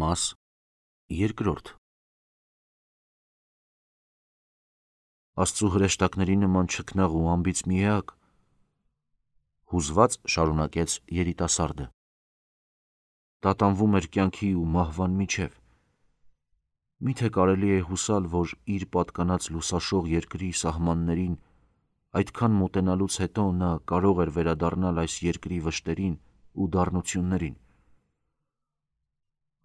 Մաս երկրորդ Աստծու հրեշտակների նման չքնաղ ու ամբից մի էակ, հուզված շարունակեց երիտասարդը. տատանվում էր կյանքի ու մահվան միջև, միթե կարելի է հուսալ, որ իր պատկանած լուսաշող երկրի սահմաններին այդքան մոտենալուց հետո նա կարող էր վերադառնալ այս երկրի վշտերին ու դառնություններին: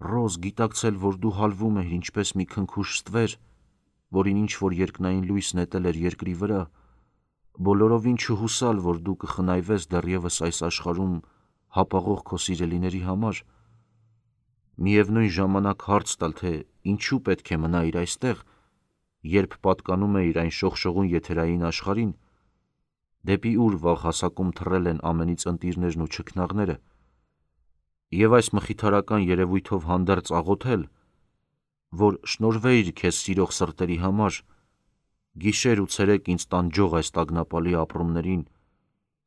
Ռոզ գիտակցել, որ դու հալվում էիր ինչպես մի քնքուշ ստվեր, որին ինչ-որ երկնային լույս նետել էր երկրի վրա, բոլորովին չհուսալ, որ դու կխնայվես դեռևս այս աշխարհում հապաղող քո սիրելիների համար, միևնույն ժամանակ հարց տալ, թե ինչու պետք է մնայիր այստեղ, երբ պատկանում էիր այն շողշողուն եթերային աշխարհին, դեպի ուր վաղ հասակում թռել են ամենից ընտիրներն ու չքնաղները, և այս մխիթարական երևույթով հանդերձ աղոթել, որ շնորհվեիր քեզ սիրող սրտերի համար, գիշեր ու ցերեկ ինձ տանջող այս տագնապալի ապրումներին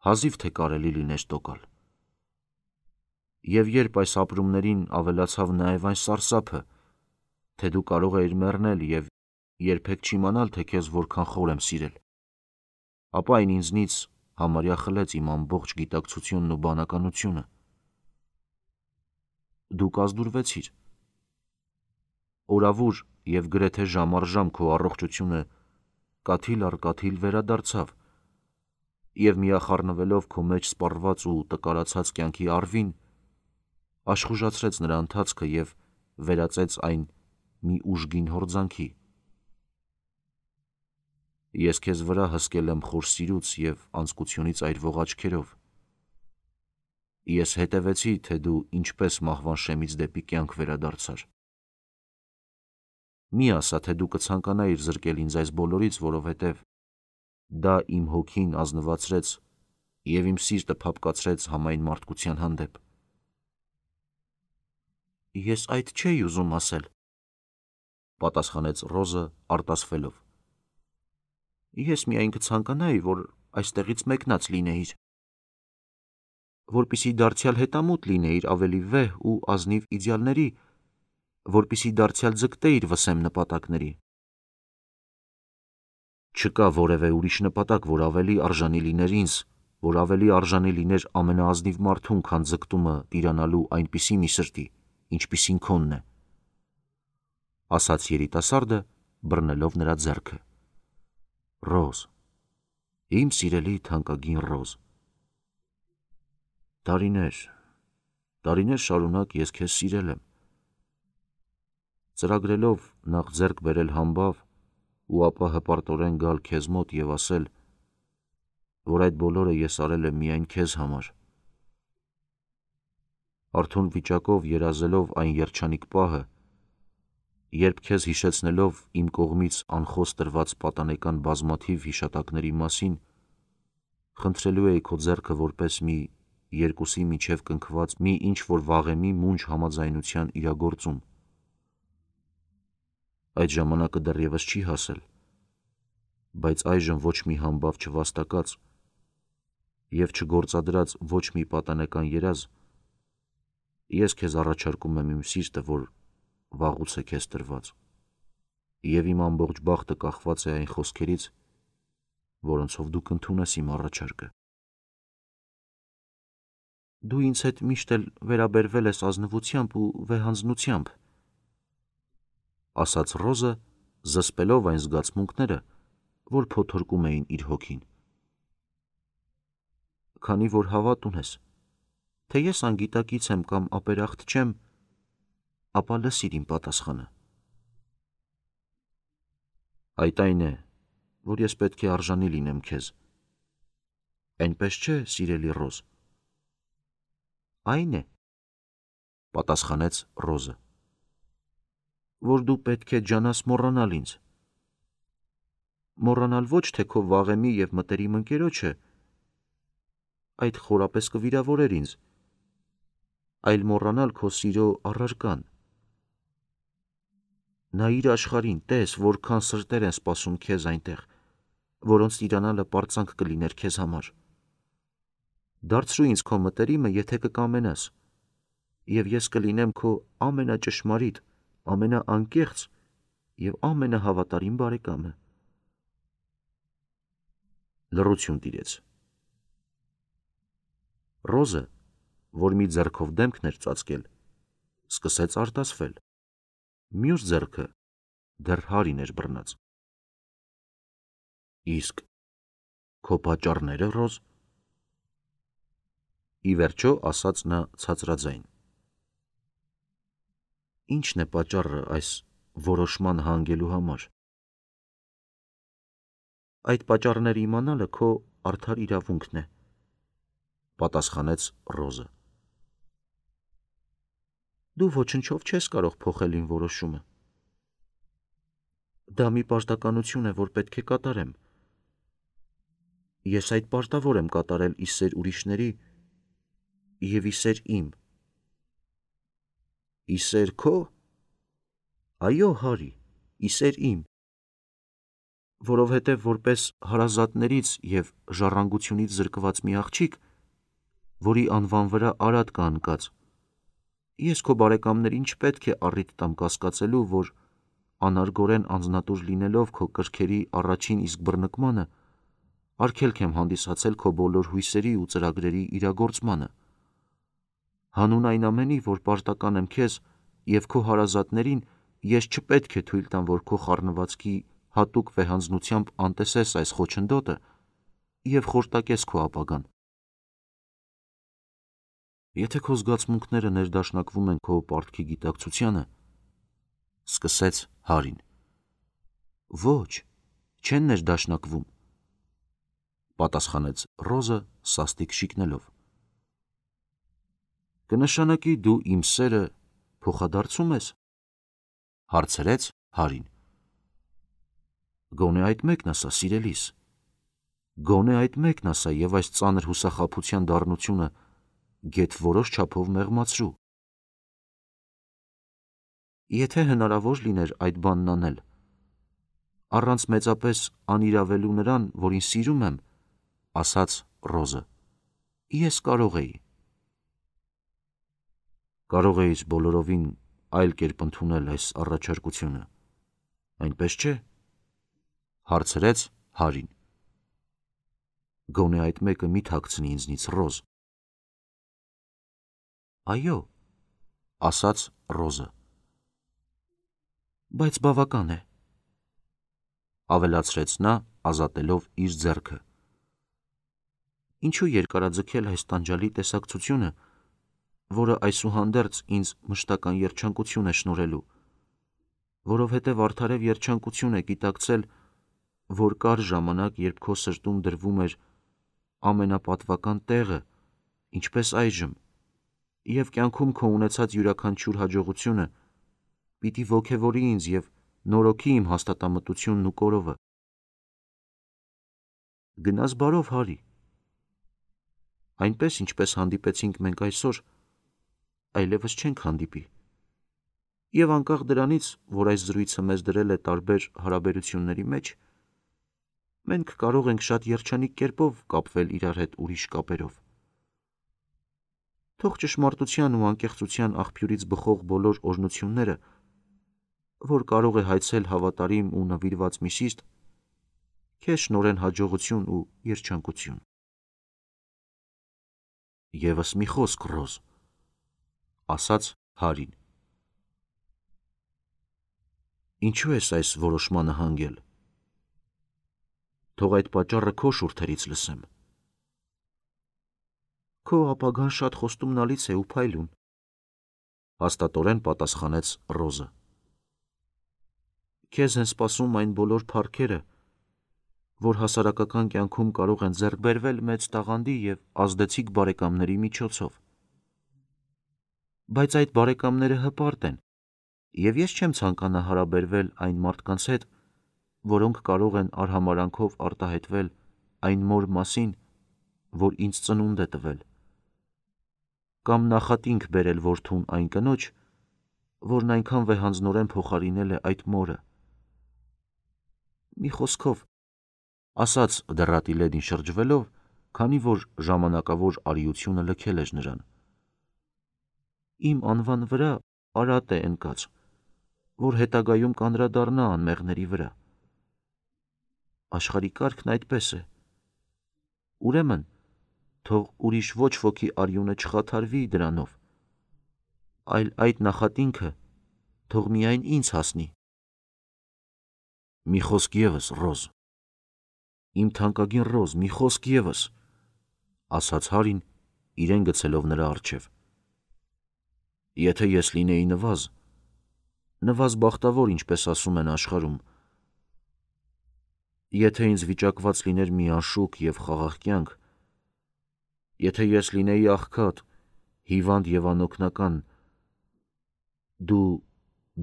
հազիվ թե կարելի լիներ տոկալ: Եվ երբ այս ապրումներին ավելացավ նաև այն սարսափը, թե դու կարող էիր մեռնել և երբեք չիմանալ, թե քեզ որքան խոր եմ սիրել, ապա այն ինձնից համարյա խլեց իմ ամբողջ գիտակցությունն ու բանականությունը: Դու կազդուրվեցիր: Օրավուր և գրեթե ժամ առ ժամ քո առողջությունը կաթիլ առ կաթիլ վերադարձավ և միախառնվելով քո մեջ սպառված ու տկարացած կյանքի առվին, աշխուժացրեց նրա ընթացքը և վերածեց այն մի ուժգին հորձանքի: Ես քեզ վրա հսկել եմ խոր սիրուց և անձկությունից այրվող աչքերով: Ես հետևեցի, թե դու ինչպես մահվան շեմից դեպի կյանք վերադարձար: Մի ասա, թե դու կցանկանայիր զրկել ինձ այս բոլորից, որովհետև դա իմ հոգին ազնվացրեց և իմ սիրտը փափկացրեց համայն մարդկության հանդեպ: Ես այդ չէի ուզում ասել, պատասխանեց Ռոզը արտասվելով: Ես միայն կցանկանայի, որ այստեղից մեկնած լինեիր, որպեսզի դարձյալ հետամուտ լինեիր ավելի վեհ ու ազնիվ իդեալների, որպեսզի դարձյալ ձգտեիր վսեմ նպատակների: Չկա որևէ ուրիշ նպատակ, որ ավելի արժանի լիներ ինձ, որ ավելի արժանի լիներ ամենաազնիվ մարդուն, քան ձգտումը տիրանալու այնպիսի մի սրտի, ինչպիսին քոնն է, ասաց երիտասարդը, բռնելով նրա ձեռքը: Ռոզ, իմ սիրելի թանկագին Ռոզ, տարիներ շարունակ ես քեզ սիրել եմ: Ծրագրելով նախ ձեռք բերել համբավ ու ապա հպարտորեն գալ քեզ մոտ և ասել, որ այդ բոլորը ես արել եմ միայն քեզ համար, արթուն վիճակով երազելով այն երջանիկ պահը, երբ քեզ հիշեցնելով իմ կողմից անխոս տրված պատանեկան բազմաթիվ հիշատակների մասին, խնդրելու էի քո ձեռքը որպես մի երկուսի միջև կնքված մի ինչ-որ վաղեմի մունջ համաձայնության իրագործում: Այդ ժամանակը դեռևս չի հասել, բայց այժմ ոչ մի համբավ չվաստակած և չգործադրած ոչ մի պատանեկան երազ, ես քեզ առաջարկում եմ իմ սիրտը, որ վաղուց է քեզ տրված, և իմ ամբողջ բախտը կախված է այն խոսքերից, որոնցով դու կընդունես իմ առաջարկը: Դու ինձ հետ միշտ էլ վերաբերվել ես ազնվությամբ ու վեհանձնությամբ, ասաց Ռոզը, զսպելով այն զգացմունքները, որ փոթորկում էին իր հոգին: Քանի որ հավատ ունես, թե ես անգիտակից եմ կամ ապերախտ չեմ, ապա լսիր իմ պատասխանը: Այդ այն է, որ ես պետք է արժանի լինեմ քեզ, այնպես չէ՞, սիրելի Ռոզ: Այն է, պատասխանեց Ռոզը, որ դու պետք է ջանաս մոռանալ ինձ, մոռանալ ոչ թե քո վաղեմի և մտերիմ ընկերոջը, այդ խորապես կվիրավորեր ինձ, այլ մոռանալ քո սիրո առարկան: Նայիր աշխարհին, տես, որքան սրտեր են սպասում քեզ այնտեղ, որոնց տիրանալը պարծանք կլիներ քեզ համար: Դարձրու ինձ քո մտերիմը, եթե կկամենաս, և ես կլինեմ քո ամենաճշմարիտ, ամենաանկեղծ և ամենահավատարիմ բարեկամը։ Լռություն տիրեց։ Ռոզը, որ մի ձեռքով դեմքն էր ծածկել, սկսեց արտասվել։ Մյուս ձեռքը դեռ Հարին էր բռնած։ Իսկ քո պատճառները, Ռոզ, ի վերջո ասաց նա ցածրաձայն։ Ի՞նչն է պատճառը այս որոշման հանգելու համար։ Այդ պատճառները իմանալը քո արդար իրավունքն է, պատասխանեց Ռոզը։ Դու ոչնչով չես կարող փոխել իմ որոշումը։ Դա մի պարտականություն է, որ պետք է կատարեմ։ Ես այդ պարտավոր եմ կատարել ի սեր ուրիշների և ի սեր իմ։ Ի սեր քո։ Այո, Հարի, ի սեր իմ։ Որովհետև որպես հարազատներից և ժառանգությունից զրկված մի աղջիկ, որի անվան վրա արատ կա ընկած, ես քո բարեկամներին չպետք է առիթ տամ կասկածելու, որ անարգորեն անձնատուր լինելով քո կրքերի առաջին իսկ բռնկմանը, արգելք եմ հանդիսացել քո բոլոր հույսերի ու ծրագրերի իրագործմանը։ Հանուն այն ամենի, որ պարտական եմ քեզ և քո հարազատներին, ես չպետք է թույլ տամ, որ քո խառնվածքի հատուկ վեհանձնությամբ անտեսես այս խոչընդոտը և խորտակես քո ապագան։ Եթե քո զգացմունքները ներդաշնակվում են քո պարտքի գիտակցությանը, սկսեց Հարին։ Ոչ, չեն ներդաշնակվում, պատասխանեց Ռոզը սաստիկ շիկնելով։ Կնշանակի դու իմ սերը փոխադարձում ես, հարցրեց Հարին։ Գոնե այդ մեկն ասա, սիրելիս, գոնե այդ մեկն ասա և այս ծանր հուսախաբության դառնությունը գեթ որոշ չափով մեղմացրու։ Եթե հնարավոր լիներ այդ բանն անել, առանց մեծապես անիրավելու նրան, որին սիրում եմ, ասաց Ռոզը, ես կարող էի։ Կարող էիր բոլորովին այլ կերպ ընդունել այս առաջարկությունը, այնպես չէ, հարցրեց Հարին։ Գոնե այդ մեկը մի թաքցնի ինձնից, Ռոզ։ Այո, ասաց Ռոզը։ Բայց բավական է, ավելացրեց նա, ազատելով իր ձեռքը։ Ինչու երկարաձգել այս տանջալի տեսակցությունը, որը այսուհանդերձ ինձ մշտական երջանկություն է շնորհելու, որովհետև արդարև երջանկություն է գիտակցել, որ կար ժամանակ, երբ քո սրտում դրվում էր ամենապատվական տեղը, ինչպես այժմ, և կյանքում քո ունեցած յուրաքանչյուր հաջողությունը պիտի ոգևորի ինձ և նորոգի իմ հաստատամտությունն ու կորովը։ Գնաս բարով, Հարի։ Այնպես, ինչպես հանդիպեցինք մենք այսօր, այլևս չենք հանդիպի։ Եվ անկախ դրանից, որ այս զրույցը մեզ դրել է տարբեր հարաբերությունների մեջ, մենք կարող ենք շատ երջանիկ կերպով կապվել իրար հետ ուրիշ կապերով։ Թող ճշմարտության ու անկեղծության աղբյուրից բխող բոլոր օրհնությունները, որ կարող է հայցել հավատարիմ ու նվիրված մի սիրտ, քեզ շնորհեն հաջողություն ու երջանկություն։ Եվս մի խոսք, Ռոզ, ասաց Հարին։ Ինչու ես այս որոշմանը հանգել։ Թող այդ պատճառը քո շուրթերից լսեմ։ Քո ապագան շատ խոստումնալից է ու փայլուն, հաստատորեն պատասխանեց Ռոզը։ Քեզ են սպասում այն բոլոր փառքերը, որ հասարակական կյանքում կարող են ձեռք բերվել մեծ տաղանդի և ազդեցիկ բարեկամների միջոցով։ Բայց այդ բարեկամները հպարտ են, և ես չեմ ցանկանա հարաբերվել այն մարդկանց հետ, որոնք կարող են արհամարհանքով արտահայտվել այն մոր մասին, որ ինձ ծնունդ է տվել, կամ նախատինք բերել որդուն այն կնոջ, որն այնքան վեհանձնորեն փոխարինել է այդ մորը։ Մի խոսքով, ասաց դեռատի լեդին շրջվելով, քանի որ ժամանակավոր արիությունը լքել էր նրան։ Իմ անվան վրա արատ է ընկած, որ հետագայում կանրադառնա անմեղների վրա։ Աշխարհի կարգն այդպես է։ Ուրեմն, թող ուրիշ ոչ ոքի արյունը չխաթարվի դրանով, այլ այդ նախատինքը թող միայն ինձ հասնի։ Մի խոսք ևս, Ռոզ, իմ թանկագին Ռոզ, մի խոսք ևս, ասաց Հարին, իրեն գցելով նրա առջև։ Եթե ես լինեի նվազ բախտավոր, ինչպես ասում են աշխարհում, եթե ինձ վիճակված լիներ մի անշուք և խաղաղ կյանք, եթե ես լինեի աղքատ, հիվանդ և անօգնական, դու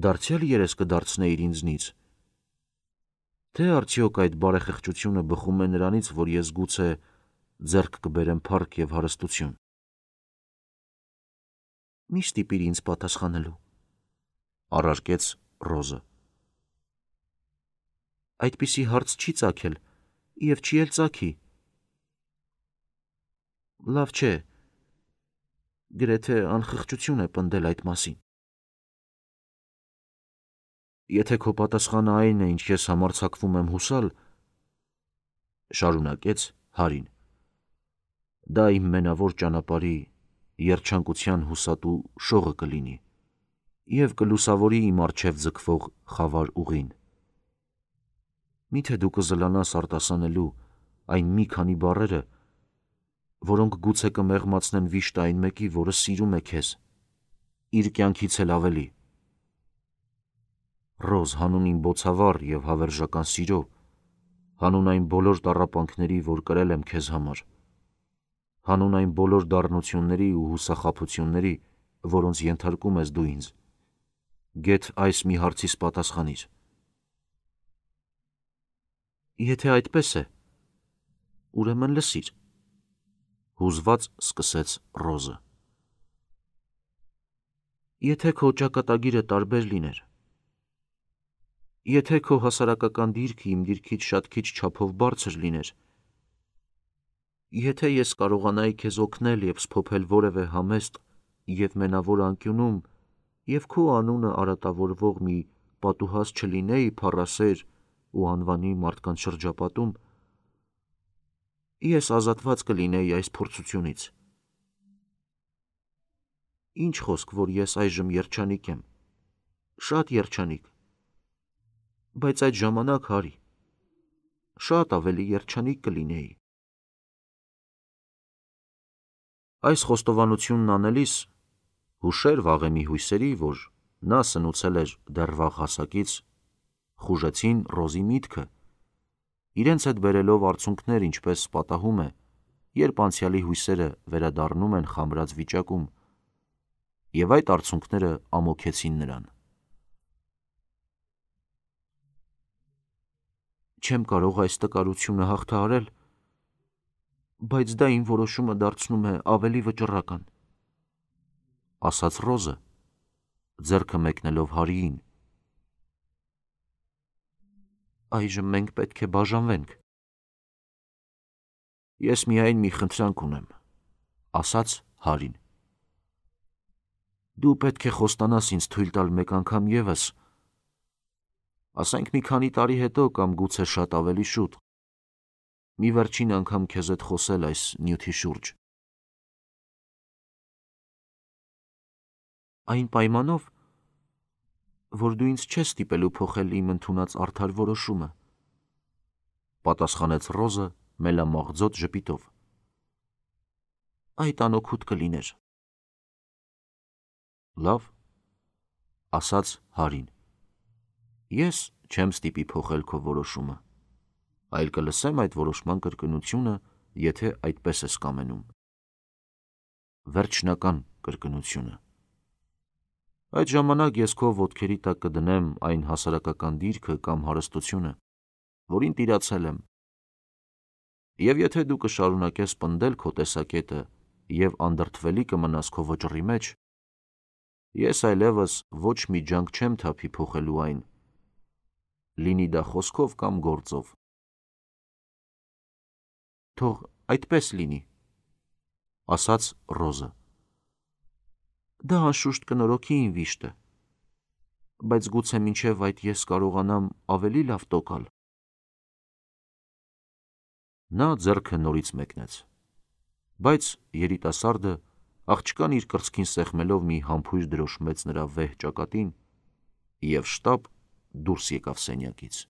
դարձյալ երես կդարձնեիր ինձնից, թե արդյոք այդ բարեխղճությունը բխում է նրանից, որ ես գուցե ձեռք կբերեմ փառք և հարստություն։ Մի ստիպիր ինձ պատասխանելու, առարկեց Ռոզը։ Այդպիսի հարց չի ծագել և չի էլ ծագի։ Լավ չէ, գրեթե անխղճություն է պնդել այդ մասին։ Եթե քո պատասխանը այն է, ինչ ես համարձակվում եմ հուսալ, շարունակեց Հարին, դա իմ մենավոր ճանապարհի երջանկության հուսատու շողը կլինի և կլուսավորի իմ առջև ձգվող խավար ուղին։ Միթե դու կզլանաս արտասանելու այն մի քանի բառերը, որոնք գուցե կմեղմացնեն վիշտը այն մեկի, որը սիրում է քեզ, իր կյանքից էլ ավելի։ Ռոզ, հանուն իմ բոցավառ և հավերժական սիրո, հանուն այն բոլոր տառապանքների, որ կրել եմ քեզ համար, հանուն այն բոլոր դառնությունների ու հուսախաբությունների, որոնց ենթարկում ես դու ինձ, գեթ այս մի հարցիս պատասխանիր։ Եթե այդպես է, ուրեմն լսիր, հուզված սկսեց Ռոզը։ Եթե քո ճակատագիրը տարբեր լիներ, եթե քո հասարակական դիրքը իմ դիրքից շատ քիչ չափով բարձր լիներ, եթե ես կարողանայի քեզ օգնել և սփոփել որևէ համեստ և մենավոր անկյունում և քո անունը արատավորվող մի պատուհաս չլինեի փառասեր ու անվանի մարդկանց շրջապատում, ես ազատված կլինեի այս փորձությունից։ Ինչ խոսք, որ ես այժմ երջանիկ եմ, շատ երջանիկ, բայց այդ ժամանակ, Հարի, շատ ավելի երջանիկ կլինեի։ Այս խոստովանությունն անելիս հուշեր վաղեմի հույսերի, որ նա սնուցել էր դեռ վաղ հասակից, խուժեցին Ռոզի միտքը, իրենց հետ բերելով արցունքներ, ինչպես պատահում է, երբ անցյալի հույսերը վերադառնում են խամրած վիճակում, և այդ արցունքները ամոքեցին նրան։ Չեմ կարող այս տկարությունը հաղթահարել, բայց դա իմ որոշումը դարձնում է ավելի վճռական, ասաց Ռոզը, ձեռքը մեկնելով Հարիին։ Այժմ մենք պետք է բաժանվենք։ Ես միայն մի խնդրանք ունեմ, ասաց Հարին։ Դու պետք է խոստանաս ինձ թույլ տալ մեկ անգամ ևս, ասենք մի քանի տարի հետո կամ գուցե շատ ավելի շուտ, մի վերջին անգամ քեզ հետ խոսել այս նյութի շուրջ։ Այն պայմանով, որ դու ինձ չես ստիպելու փոխել իմ ընդունած արդար որոշումը, պատասխանեց Ռոզը մելամաղձոտ ժպիտով։ Այդ անօգուտ կլիներ։ Լավ, ասաց Հարին, ես չեմ ստիպի փոխել քո որոշումը, այլ կլսեմ այդ որոշման կրկնությունը, եթե այդպես ես կամենում։ Վերջնական կրկնությունը։ Այդ ժամանակ ես քո ոտքերի տակ կդնեմ այն հասարակական դիրքը կամ հարստությունը, որին տիրացել եմ, և եթե դու կշարունակես պնդել քո տեսակետը և անդրդվելի կմնաս քո վճռի մեջ, ես այլևս ոչ մի ջանք չեմ թափի փոխելու այն, լինի դա խոսքով կամ գործով։ Թող այդպես լինի, ասաց Ռոզը։ Դա անշուշտ կնորոգի իմ վիշտը, բայց գուցե մինչև այդ ես կարողանամ ավելի լավ տոկալ։ Նա ձեռքը նորից մեկնեց, բայց երիտասարդը աղջկան իր կրծքին սեղմելով մի համբույր դրոշմեց նրա վեհ ճակատին և շտապ դուրս եկավ սենյակից։